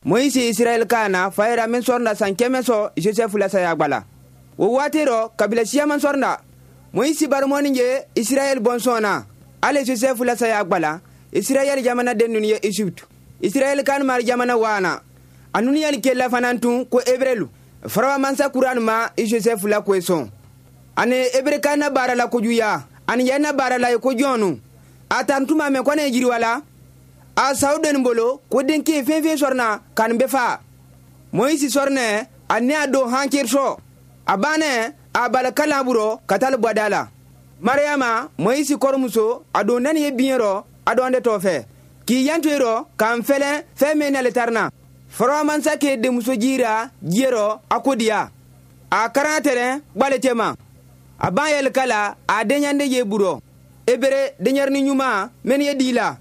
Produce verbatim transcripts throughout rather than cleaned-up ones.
Moyisi Israɛl ka na fayira min sɔrɔna san kɛmɛ sɔ Josɛfu la saya gbala. O waati rɔ kabila siyaman sɔrɔna. Moyisi barimɔni ye Israɛl bɔnsɔn na. Ale Josɛfu la saya gbala. Israɛl jamana den ninnu ye Egypte. Israɛl kan mari jamana waana. A nunu yali kela fana tun ko Ebrelu. Farawa mansa kuran ma i Josɛfu la koe sɔn. Ani Ebre kan na baara la kojuya. Ani yɛn na baara la ye ko jɔnu. A tan tuma mɛn kɔnɛ jiriwa la. A saw den bolo ko denke fɛn fɛn sɔrɔna ka nin bɛɛ fa. Moyisi sɔrɔnɛ a ne a don hankiri sɔ. A bannɛ a bala kalan burɔ ka taa bɔda la. Mariyama Moyisi kɔrɔmuso a don nani ye biɲɛ rɔ a dɔn de tɔ fɛ. K'i yanto ye rɔ k'an fɛlɛ fɛn min nale tarina. Farawa mansa k'e denmuso jira diɲɛ rɔ a ko diya. A karan tɛrɛn gbale cɛ ma. A ban yɛlɛ la a denyande ye burɔ. Ebere denyɛrɛni ɲuman mɛni ye di la.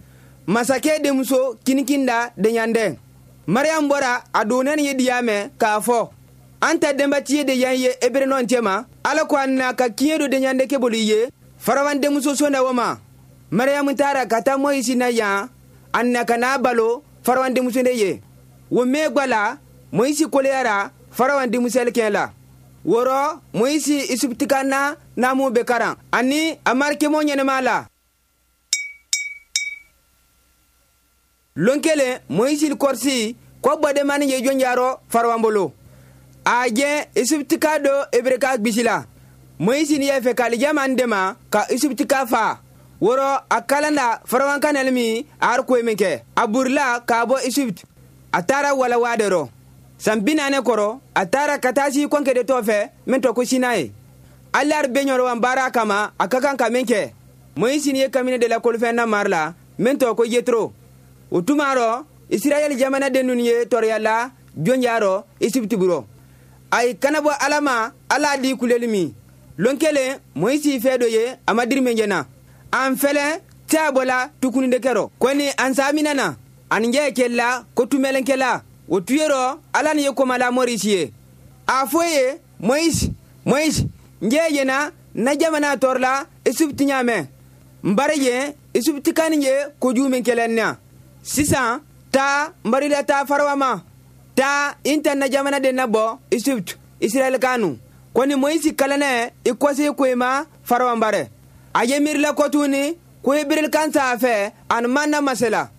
Masakɛ denmuso kinikinda denyandɛ. Mariam bɔra a donnɛni ye diya mɛn k'a fɔ an ta denbatiye de yan ye ebere nɔ cɛ ma ala ko an na ka kiɲɛ do denyande kɛ bolo i ye farawan denmuso sonda wo ma. Mariam taara ka taa Moyisi na yan a na ka n'a balo farawan denmuso de ye. Wo mɛn gbala Moyisi koleyara farawan denmusɛli kɛ la. Wɔrɔ Moyisi Isiptika na namu bɛ karan ani a marikɛmɔ ɲɛnɛma la. Lon kelen Moyisi kɔrisi ko gbademani ye jɔnjarɔ farawan bolo. A jɛ Isiptika do Ebreka gbisi la. Moyisi ni yɛ fɛ k'ale dɛmɛ ka Isiptika fa. Wɔrɔ a kalanda farawan kanɛli min a har koyi min kɛ. A burila k'a bɔ Isipt. A taara walawa de rɔ. San bi naani kɔrɔ a taara ka taa si kɔnkɛ de tɔ fɛ min tɔ ko Sinayi. Alari bɛ ɲɔrɔ baara kama a ka kan ka min kɛ. Moyisi ni ye kamine de la kolofɛn na mari la min tɔ ko Yetro. O tuma rɔ Israɛl jamana den ninnu ye tɔɔrɔya la jɔnja rɔ Isipti burɔ. A ye kana bɔ Ala ma Ala di kuleli min. Lon kelen Moyisi fɛ dɔ ye a ma diri min jɛna. An fɛlɛ tɛ bɔla tukuni de kɛrɔ. Kɔni an samina na ani jɛ kɛla ko tumɛlɛnkɛla. O tuye rɔ Ala ni ye komala Morisi ye. A fɔ ye Moyisi Moyisi n jɛ yena na jamana tɔɔrɔ Isipti ɲamɛ. N bari ye Isipti kan ye kojugu min kɛlɛ na. Sisan taa n barila taa farawa ma. Taa in ta na jamana den na bɔ Isipt Israɛl kanu. Kɔni Moyisi kalanɛ i kɔse koyi ma farawan barɛ. A ye miirila kɔtuni ko Ebrel kan saa fɛ ani man na masala.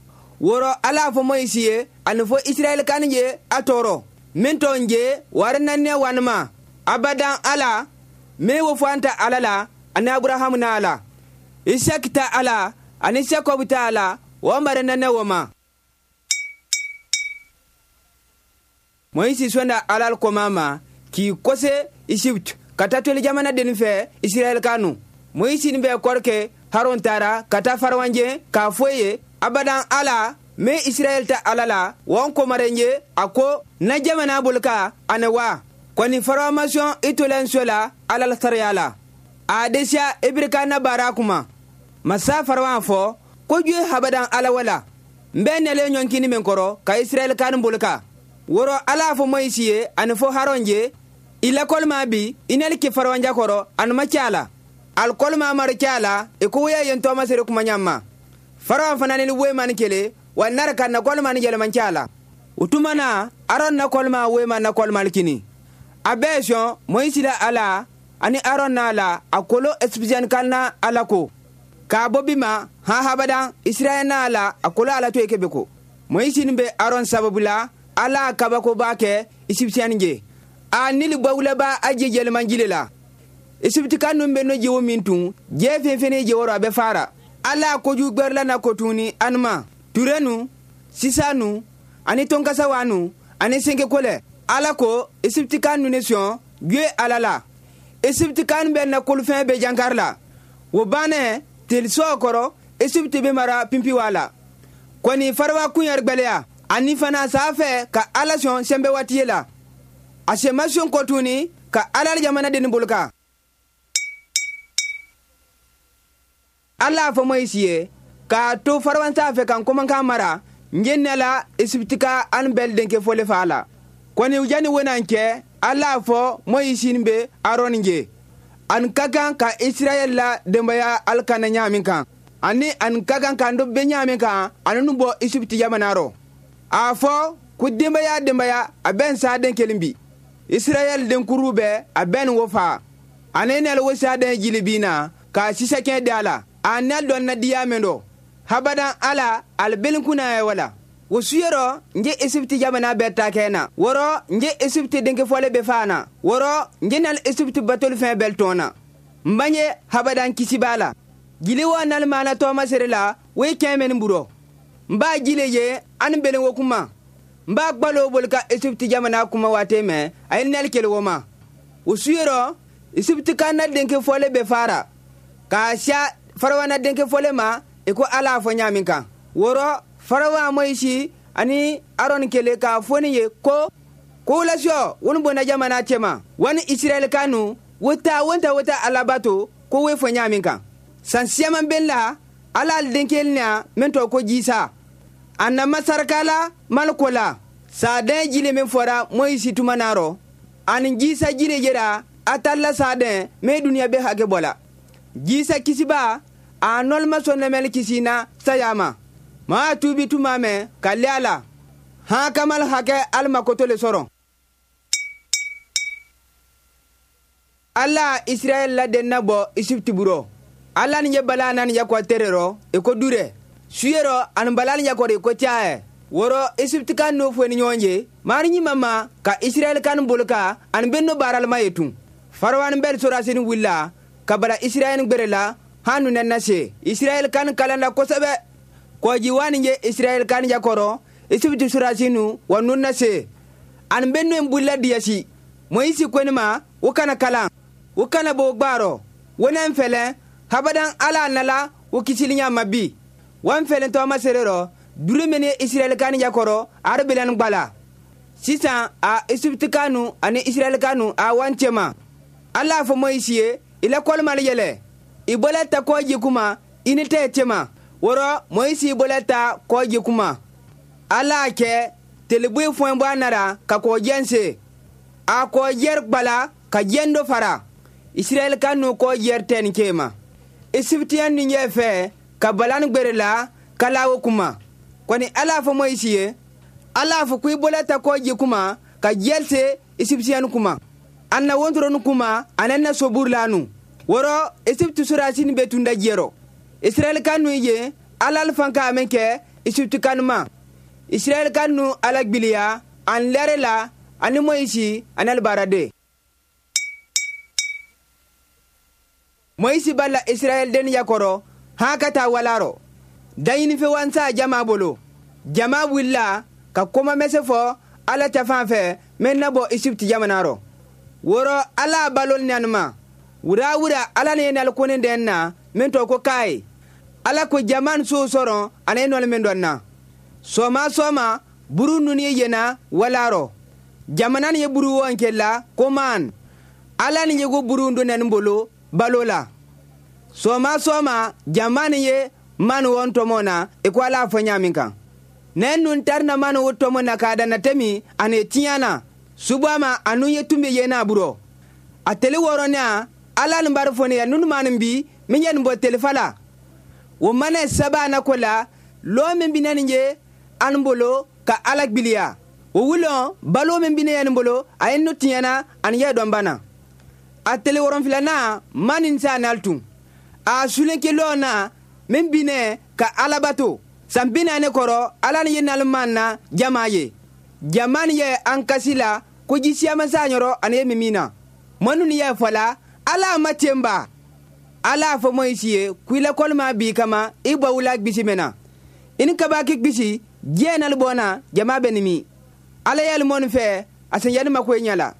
Wɔrɔ Ala fɔ Moyisi ye ani fɔ Israɛl kan ye a tɔɔrɔ. Min tɔ n je wari nanɛ wanima. Abadan Ala min wo fɔ an ta Ala la ani Aburahamu na ala. Isaki ta Ala ani Jakobu ta Ala o mari nanɛ wo ma. Moyisi sɔnda Ala kɔma ma k'i kɔse Isipt ka taa toli jamana den fɛ Israɛl kanu. Moyisi ni bɛ kɔrɔkɛ Haron taara ka taa farawanjɛ k'a fɔ ye abadan Ala min Israɛl ta Ala la wɔn komaren ye a ko na jamana bolika ani wa. Kɔni farawamasɔn i tolen so la Ala la sariya la. A desiya Ebreka na baara kuma. Masa farawan fɔ ko ju habadan Ala wala. N bɛ nɛlɛ ɲɔnkini min kɔrɔ ka Israɛl kan bolika. Wɔrɔ Ala fɔ Moyisi ye ani fɔ Haron ye i lakɔlima bi i nali kɛ farawanja kɔrɔ ani ma cɛ la. Alikɔlima mari cɛ la i ko woya yen tɔɔma sere kuma ɲama. Farawan fana ni woyima ni kele wa nari ka nakɔlima ni yɛlɛma cɛ la. O tuma na Aron nakɔlima woyima nakɔlima kini. A bɛɛ sɔn Moyisi la Ala ani Aron na la a kolo Esipisiɛni kan na Ala ko. K'a bɔ bi ma han habadan Israɛl na la a kolo Ala to ye kebe ko. Moyisi ni bɛ Aron sababu la Ala kabakoba kɛ Esipisiɛni je. A nili bɔwulaba a je yɛlɛmanjile la. Isipti kan nun bɛ no jewo min tun jɛ fɛn fɛn je wɔrɔ a bɛ fara. Ala kojugu gbɛrɛla na kotuni anuma turenu sisanu ani tonkasawanu ani senkekolɛ. Ala ko Isipti kan nun ne sɔn juye Ala la. Isipti kan bɛ na kolofɛn bɛ jankari la. O bannɛ telisɔ kɔrɔ Isipti bɛ mara pinpiwa la. Kɔni farawa kunyɛri gbɛlɛya ani fana saa fɛ ka Ala sɔn sɛnbɛ waati ye la. A sɛma sɔn kɔtuni ka Ala jamana den bolo kan. Ala fɔ Moyisi ye k'a to farawan saa fɛ kan komankan mara n ye ne la Isiptika an bɛɛ denkɛ fɔle fa la. Kɔni yanni wonan cɛ Ala fɔ Moyisi bɛ Aron je. An ka kan ka Israɛl la denbaya alikana ɲaamin kan ani an ka kan k'an do bɛ ɲaamin kan ani nu bɔ Isipti jamana rɔ. A fɔ Ko denbaya denbaya a bɛ n saden kelen bi. Israɛl denkuru bɛɛ a bɛ nin wo fa. Ani nɛl wo saden jili bin na k'a sisɛkɛ da la. A nɛl dɔn na diya min dɔ. Habadan ala albelin kuna ya wala. Wo suyɔrɔ n je Esipti jamana bɛɛ ta kɛ na. Wɔrɔ n je Esipti denkɛ fɔle bɛ fa na. Wɔrɔ n je nal Esipti batoli fɛn bɛɛ tɔn na. N bange habadan kisi b'a la. Jili wa nal mana tɔɔma sere la wo ye kɛn mɛni burɔ. N b'a jile ye ani belen wo kuma. N b'a gbalo boli ka Esipti jamana kuma waati mɛn a ye nal kele wo ma. O suyɔrɔ Esipti ka na denkɛ fɔle bɛ fara. K'a siya Farawana denkɛ fɔle ma i ko ala fɔ ɲa min kan. Wɔrɔ Farawa Moyisi ani Aron kele k'a fɔ ne ye ko ko lasɔ wani bɔnna jamana cɛma wani Israɛl kanu wo ta wo ta wo ta alabato ko wo fɔ ɲa min kan. San siyaman bɛ la ala al denkɛ na min tɔ ko Jisa. A na masaraka la maliko la saden jile min fɔra Moyisi tuma na rɔ ani Jisa jile yera a taala saden mɛ duniya bɛ hakɛ bɔ la. Jisa kisiba a nɔlima sɔn kisi na saya ma. Maa tubi tuma mɛn ka le a la han kamal hakɛ alima koto le sɔrɔ. Ala Israɛl la den na bɔ Esipti burɔ. Ala ni ye bala nani yakɔ tere rɔ i ko durɛ. Suyerɔ ani bala ni yakɔ i ko cayɛ. Wɔrɔ Esipti kan n'o fɔ ni ɲɔgɔn ye maari ɲuman ma ka Israɛl kan bolo kan ani bɛ n'o baaralima ye tun. Farawani bɛɛ sɔrɔsini wulila ka bala Israɛl gbɛrɛ la han nu na se. Israɛl kan kalan la kosɛbɛ. Kɔji wani ye Israɛl kan yakɔrɔ Esipti sɔrɔsinu wa nun na se. Ani bɛ n'o bolila diyasi. Moyisi ko ne ma o kana kalan. O kana bɔ gbaarɔ. Wo ne fɛlɛ habadan ala nala o kisili ɲa ma bi. Wan fɛlɛ tɔɔma sere rɔ duru min ye Israɛl kan yakɔrɔ ari bilan gbala. Sisan a Esipti kanu ani Israɛl kanu a wan cɛma. Ala fɔ Moyisi ye i la kɔlima yɛlɛ. I bɔla ta kɔji kuma i ni tɛ cɛma. Wɔrɔ Moyisi bɔla ta kɔji kuma. Ala kɛ teleboyi fɔn bɔ a nara ka kɔjɛn se. A kɔjɛri gbala ka jɛn dɔ fara. Israɛl kanu kɔjɛri tɛ nin kema. Esiptiyan ni ɲɛ fɛ ka balan gbɛrɛ la ka lawo kuma. Kɔni ala fɔ Moyisi ye ala fɔ ko i bɔla ta kɔji kuma ka jɛl se Esiptiyan kuma. An na wontoro kuma anan na sobur lanu. Wɔrɔ Esipti sɔrɔsini bɛ tun da jɛrɔ. Israɛl kanu ye ala fan ka min kɛ Esipti kanu ma. Israɛl kanu ala gbiliya an lɛrɛ la ani Moyisi ani alibarade. Moyisi bala Israɛl den yakɔrɔ han ka taa walarɔ. Daɲinifɛ wansa jama bolo. Jama wulila ka koma mɛsɛ fɔ ala ta fan fɛ mɛ na bɔ Esipti jamana rɔ. Wɔrɔ ala balo nanima. Wura wura ala ne nal kone den na min tɔ ko kaye. Ala ko jaman so sɔrɔ ani nɔli min dɔn na. Sɔma sɔma buru nunu ye yena walarɔ. Jamana ni ye buru wɔn kɛ la ko man. Ala ni ye ko buru don nani bolo balo la. Sɔma sɔma jama ni ye man wɔn tɔmɔ na i ko ala fɔ ɲa min kan. Nɛ nun tari na man wo tɔmɔ na k'a dana tɛmi ani tiɲɛ na. Subama anu ye tun bɛ yena burɔ. A tele wɔɔrɔ na ala ni bari fɔ ne ye nunu ma nin bi min ye nin bɔ telefa la. O mana saba na ko la lɔ min bɛ na nin ye an bolo ka ala gbiliya. O wulɔ balo min bɛ ne ye nin bolo a ye nu tiɲɛna ani yɛ dɔn bana. A tele wɔrɔnfilanan ma nin sa nal tun. A sulenke lɔ na min bɛ ne ka ala bato. San bi naani kɔrɔ ala ni ye naliman na jama ye. Jama ni ye an kasi la ko ji siyaman sa ɲɔrɔ ani ye min na. Mɔnu ni ye fɔ la ala ma tenba. Ala fɔ Moyisi ye ko i la kɔlima b'i kama i bɔ wula gbisi mɛn na. I ni kabaki gbisi diɲɛ nali bɔna jama bɛ nimi. Ala yɛli mɔni fɛ a sen yɛli ma ko ɲɛ la.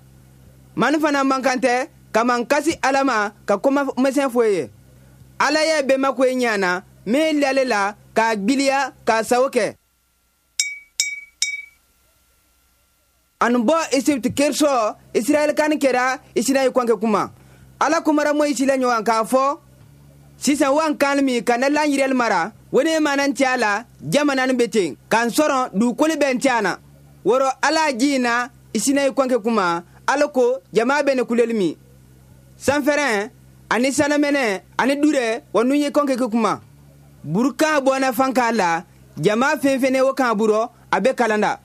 Mani fana man kan tɛ ka man kasi ala ma ka koma mɛsɛn fɔ ye. Ala yɛ bɛɛ ma ko ɲɛ na min lale la k'a gbiliya k'a sago kɛ. Ani bɔ Esipti kerisɔ Israɛl kan kɛra Isinayi kɔnkɛ kuma. Ala kumara Moyisi la ɲɔgɔn k'a fɔ sisan wan kan min ka na lanyirɛli mara wo ne mana n cɛ la jamana bɛ ten k'an sɔrɔ dugukolo bɛ n cɛ na. Wɔrɔ ala ji na Isinayi kɔnkɛ kuma ala ko jama bɛ ne kuleli min. Sanfɛrɛn ani sanamɛnɛ ani durɛ wa nun ye kɔnkɛ kɛ kuma. Burukan bɔnna fan k'a la jama fɛn fɛn wo kan burɔ a bɛ kalanda.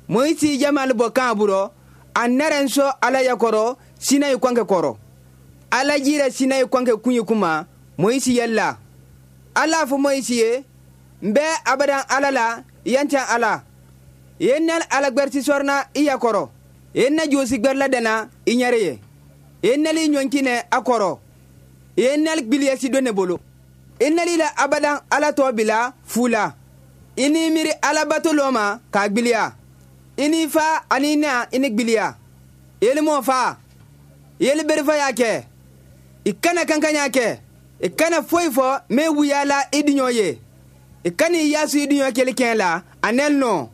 Moyisi jamal bɔ kan burɔ a nɛrɛ sɔ ala yakɔrɔ sinayi kɔnkɛ kɔrɔ ala jira sinayi kɔnkɛ kun ye kuma Moyisi yɛlɛla ala fɔ Moyisi ye n bɛ abadan ala la yancan ala ye nɛl ala gbɛriti sɔrɔna i yakɔrɔ ye na josi gbɛrila dɛna i ɲɛrɛ ye ye nɛli ɲɔnkinɛ a kɔrɔ ye nɛl gbiliyasi don ne bolo i nɛli la abadan ala tɔ bila fu la i n'i miiri alabato lɔ ma k'a gbiliya i n'i fa ani na i ni gbiliya yeli mɔ fa yeli berifa y'a kɛ i kana kankan y'a kɛ i kana foyi fɔ min wuya la i diɲɔ ye i kana i yasu i diɲɔ kɛli kɛn la a nɛl nɔ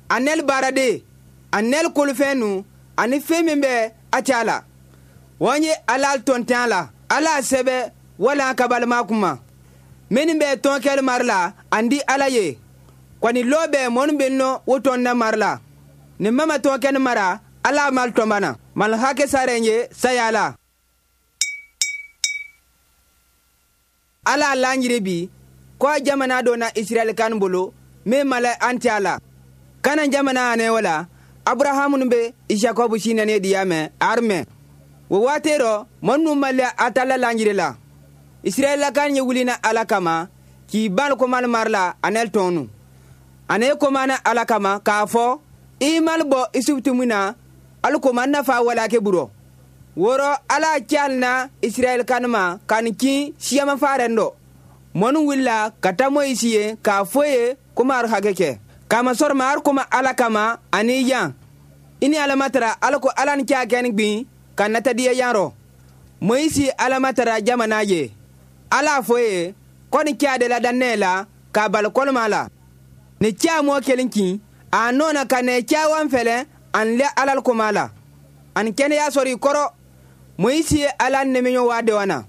a nɛl baaraden a nɛl kolofɛn nu ani fɛn min bɛ a ca la wɔn ye ala tɔntɛn la ala sɛbɛ wala kabalima kuma minnu bɛ tɔn kɛli mari la an di ala ye kɔni lɔ bɛ mɔnu bɛ nɔ o tɔn na mari la ni mama tɔn kɛni mara ala mal tɔnbana mal hakɛ saren ye saya la ala lanjiri bi ko jamana dɔ na Israɛl kan bolo min mala an tɛ a la kana jamana ane wala Abrahamu bɛ Jacob sinane diyamɛ armɛ wo waati rɔ mɔnu mala a ta la lanjiri la Israɛl kan ye wulina ala kama k'i ban komal mari la anɛl tɔnu ane komana ala kama k'a fɔ i mal bɔ Isibiti min na alu koma nafa wala ke burɔ woro ala cal na Israɛl kan ma kan kin siyama faren dɔ mɔnu wulila ka taa Moyisi ye k'a fɔ ye komi ar hakɛ kɛ kama sɔrɔ ma ar koma ala kama ani yan i ni ala matara ala ko ala ni k'a kɛni gbin ka nata diya yan rɔ Moyisi ala matara jamana ye ala fɔ ye ko ni k'a de la dannɛ la k'a bali kɔlɔma la ni cɛ mɔ kelen kin a nɔna ka nɛ cawan fɛlɛ an lɛ alal koma la ani kɛnɛya sɔrɔ i kɔrɔ Moyisi ye ala nɛmɛɲɔ waa dewana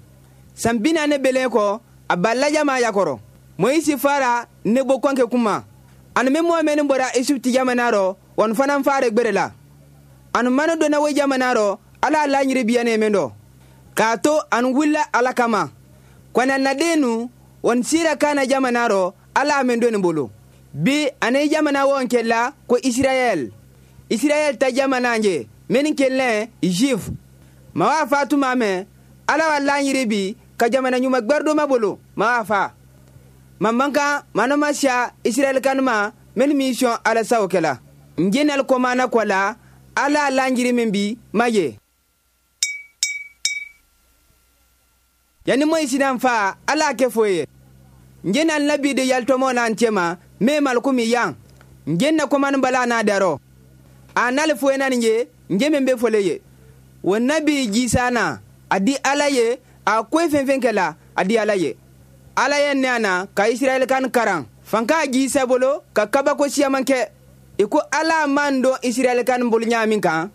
san bi naani belen kɔ a balla jama yakɔrɔ Moyisi fara ne bo kɔnkɛ kuma ani min mɔ mɛni bɔra Isibiti jamana rɔ wɔn fana fare gbere la ani manu donna wo jamana rɔ ala laɲiri biyane min dɔ k'a to ani wulila ala kama kɔnɛ naden nu wɔn sira kana jamana rɔ ala min doni bolo bi ani jamana wɔn kɛla ko Israɛl Israɛl ta jamana ye min kɛlɛ Juif ma wa fa tuma mɛ ala wa laɲiri bi ka jamana ɲuman gbɛridoma bolo ma wa fa ma man kan manama siya Israɛl kanuma min min sɔn ala sawo kɛla n jenal komana kɔ la ala laɲiri min bi ma ye yanni Moyisi nan fa ala kɛ foyi ye n jenal nabi de yalitɔmɔ n'an cɛma min malikumi yan n jenna komani bala n'a darɔ a n'ale foyi nani ye n je min bɛ fɔle ye o nabi jisa na a di ala ye a koyi fɛn fɛn kɛla a di ala ye ala ye ne na ka Israɛl kan karan fanka jisa bolo ka kabako siyaman kɛ i ko ala man dɔn Israɛl kan bolo ɲa min kan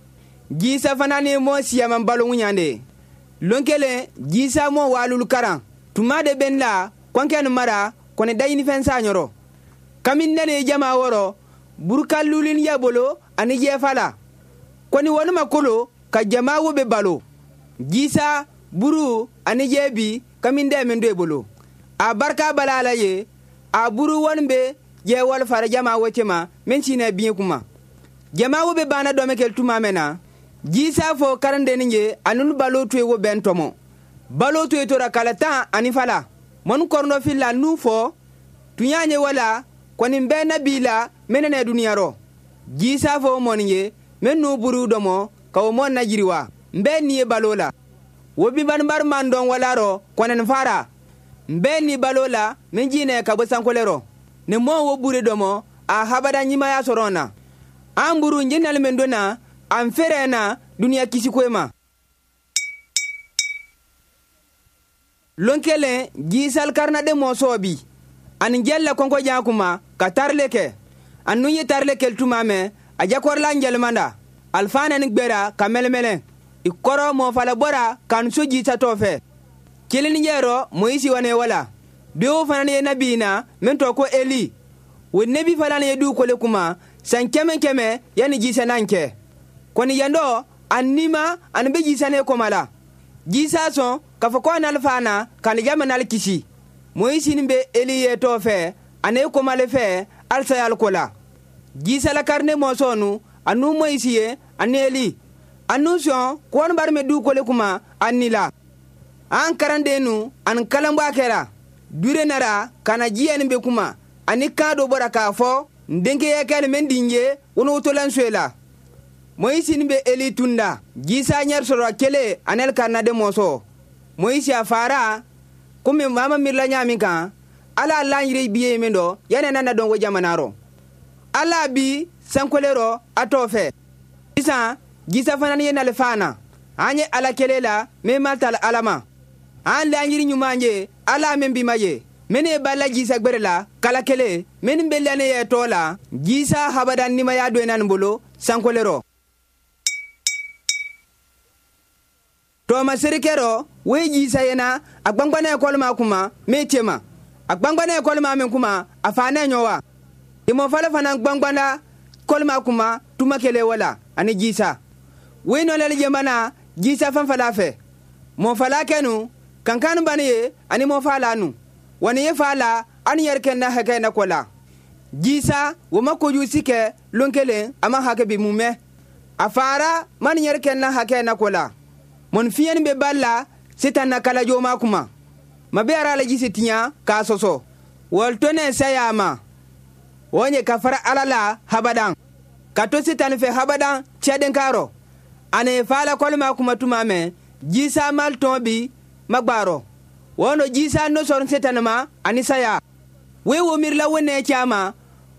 jisa fana ni mɔ siyaman balo ɲa de lon kelen jisa mɔ walulu karan tuma de bɛ n la kɔnkɛ nin mara kɔni daɲinifɛn sa ɲɔrɔ kami nene jama wɔrɔ buruka lulin ya bolo ani jɛfa la kɔni wɔnuma kolo ka jama wo bɛ balo jisa buru ani jɛbi kami dɛ min do bolo a barika bala ala ye a buru wɔni bɛ jɛwali fara jama wo cɛma min sinɛ biɲɛ kuma jama wo bɛ banna dɔmɛ kɛ tuma mɛn na jisa fɔ karandenni ye a nunu balo to ye wo bɛn tɔmɔ balo to ye tora kala tan ani fala mɔnu kɔrɔnɔfin la n'u fɔ tun y'a ye wala kɔni bɛɛ na b'i la mɛnɛ nɛ duniya rɔ jisa fɔ mɔni ye mɛ n'u buru dɔmɔ ka o mɔn na jiriwa n bɛɛ ni ye balo la wo binbanibari man dɔn wala rɔ kɔnɛni fara n bɛɛ ni balo la min jinɛ ka bɔ sankole rɔ ni mɔn wo buru dɔmɔ a habada ɲimaya sɔrɔ na an buru n jinali min donna an fɛrɛ na duniya kisikoe ma lon kelen jisal karinaden mɔ bi ani jɛlla kɔnkɔ jan kuma ka tarile kɛ a nun ye tarile kɛli tuma mɛn a jakɔrɔla jɛlimanda alifana ni gbɛra ka mɛlɛmɛlɛ i kɔrɔ mɔfala bɔra ka n so jisatɔ fɛ kelini yɛrɔ Moyisi wane wala dewo fana ye nabi na min tɔ ko Eli o nebi fana ye dugukolo kuma san kɛmɛ kɛmɛ yanni jisa nan kɛ kɔni yandɔ a nima ani bɛ jisa ne kɔma la jisa sɔn k'a fɔ ko a n'ale fa na ka ni jamana kisi Moyisi ni bɛ Eli ye tɔ fɛ ani komale fɛ alisa y'ale ko la Jisa la karne mɔsɔnu anu Moyisi ye ani Eli anu sɔn kɔni bari mɛ dukolo kuma ani la an karanden nu ani kalanbɔ a kɛra dure nara ka na jiya nin bɛ kuma ani kan dɔ bɔra k'a fɔ n denkɛ kɛli mɛ n ye wonotolan soye la. Moyisi ni bɛ Eli tunda Jisa ɲɛ sɔrɔ kelen anel ka naden mɔsɔ Moyisi a fara komi mama mirila ɲa min kan ala la yiri biye min dɔ yanni nana dɔn ko jamana rɔ ala bi sankolero a t'o fɛ sisan Jisa fana ye nale fana an ye ala kelen la min ma tala ala ma an laɲini ɲuman ye ala min bi ma ye minnu ye bala Jisa gbɛrɛ la kala kelen minnu bɛ lane ye tɔ la Jisa habada nimaya don nin bolo sankolero. Tɔɔma serikɛrɔ wo ye Jisa yena a gbangbana ekɔli kuma min tema a gbangbana ekɔli min kuma a fa ne ɲɔ wa imɔfala fana gbangbana kɔlima kuma tuma kelen wala ani Jisa wo ye nɔlɛli jɛmana Jisa fanfala fɛ mɔfala kɛnu kankan bani ye ani mɔfala nu wani ye fa la ani yɛrɛ kɛ na hakɛ na kɔ la Jisa wo ma kojugu si kɛ lon kelen a ma hakɛ bi mun mɛ a fara ma ni yɛrɛ kɛ na hakɛ na kɔ la mɔni fiɲɛni bɛ bali la sitan na kalajo ma kuma ma bɛ ara la jisi tiɲa k'a sɔsɔ wɔlitɔnɛ saya ma o ye ka fara ala la habadan ka to sitan fɛ habadan cɛden karɔ ani fa la kɔlima kuma tuma mɛ Jisa mal tɔn bi magbarɔ wɔnɔ Jisa no sɔrɔ sitan ma ani saya we wo mirila wone cama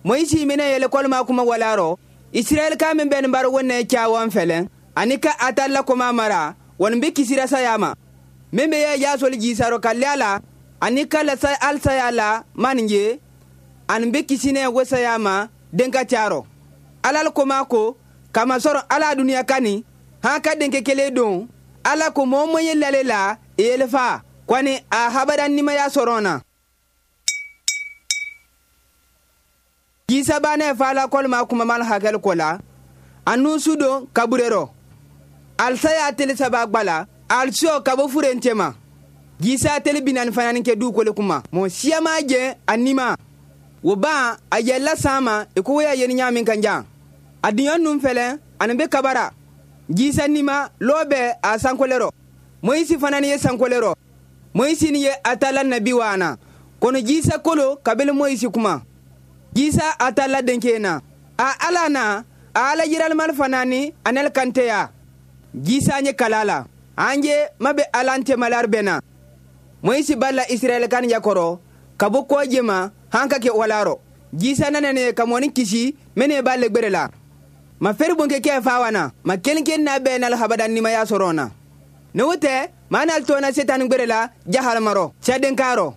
Moyisi minɛ yɛlɛ kɔlima kuma walarɔ Israɛl ka min bɛ nin baro wone cawan fɛlɛ ani ka atala koma mara wɔn bɛ kisira saya ma min bɛ yɛ yasoli Jisarɔ ka lɛ la ani ka lasa alisaya la manin ye ani bɛ kisinɛ wo saya ma den ka carɔ ala koma ko kamasɔrɔ ala duniya kani han ka denkɛ kelen don ala ko mɔɔ mɔ ye lale la yelefa kɔni a habada nimaya sɔrɔ na. Jisa banɛ fa la kɔlima kumaman hakɛli kɔ la a nu su don kaburerɔ alisaya teli saba gbala alisiyo ka bɔ furen cɛma Jisa teli binani fana kɛ dukolo kuma mɔ siya ma jɛ a nima wo ban a yɛlɛla san ma i ko ya yeni ɲa min kan jan a diɲɛ nun fɛlɛ ani bɛ kabara Jisa nima lɔɔ bɛ a sankolerɔ Moyisi fana ni ye sankolerɔ Moyisi ni ye a ta la nabi waana kɔnɔ Jisa kolo kabili Moyisi kuma Jisa a ta la denkɛ na a ala na a ala yiralimali fana ni a nɛli kanteya Jisa ye kala la an ye ma bɛ ala tɛmalari bɛ na Moyisi b'a la Israɛl kan yakɔrɔ ka bɔ kɔje ma han ka kɛ walarɔ Jisa nana ne ka mɔni kisi mene b'a legbere la ma feri bonke kɛ fa wana ma kelenke na bɛɛ n'al habada nimaya sɔrɔ na ne wo tɛ maa n'al tɔna setan gbere la jahalamarɔ sɛdenkarɔ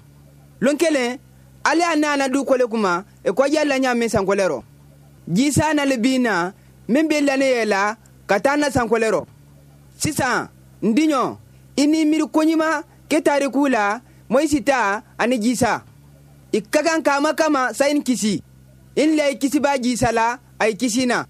lon kelen ale a nana du kole kuma e kɔjɛ la ɲa min sankolerɔ Jisa nale bin na min bɛ lane yɛ la ka taa na sankolerɔ sisan n diɲɔ i ni miiri koɲuman ke tariku la Moyisi ta ani Jisa i ka kan kama kama sayin kisi in la i kisi b'a Jisa la a i kisi na.